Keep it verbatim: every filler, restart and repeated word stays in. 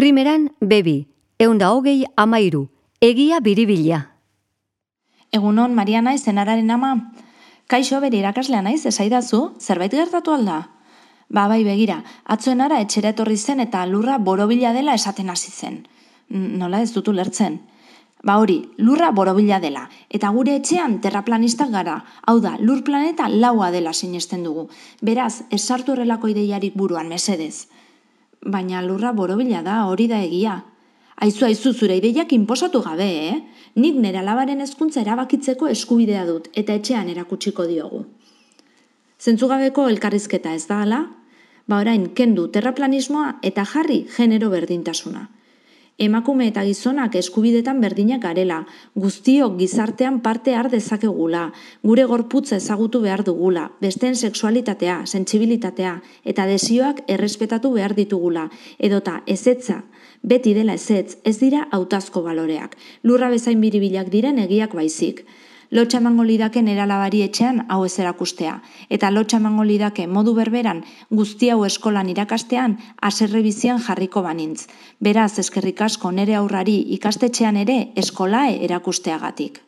Primeran, bebi, eunda hogei amairu, egia biribila. Egunon, Mariana izenararen ama. Kaixo, bere irakaslea naiz, esaidazu, zerbait gertatu alda? Ba, bai, begira, atzoenara etxera etorri zen eta lurra borobila dela esaten hasi zen. Nola ez dutu lertzen? Ba hori, lurra borobila dela, eta gure etxean terraplanistak gara, hau da, lur planeta laua dela sinesten dugu. Beraz, ez sartu horrelako ideiarik buruan, mesedez. Baina lurra borobila da, hori da egia. Aizu, aizu, zure ideiak inposatu gabe, eh? Nik nire alabaren hezkuntza erabakitzeko eskubidea dut, eta etxean erakutsiko diogu. Zentzugabeko elkarrizketa ez da hala? Ba orain, kendu terraplanismoa eta jarri genero berdintasuna. Emakume eta gizonak eskubidetan berdinak garela, guztiok gizartean parte har dezakegula, gure gorputza ezagutu behar dugula, besteen sexualitatea, sentsibilitatea eta desioak errespetatu behar ditugula, edota ezetza, beti dela ezetz, ez dira hautazko baloreak, lurra bezain biribilak diren egiak baizik. Lotxa emango lidake nera alabari etxean hau ez erakustea, eta lotxa emango lidake modu berberan guzti hau eskolan irakastean haserre bizian jarriko banintz. Beraz, eskerrik asko nere aurrari ikastetxean ere eskolae erakusteagatik.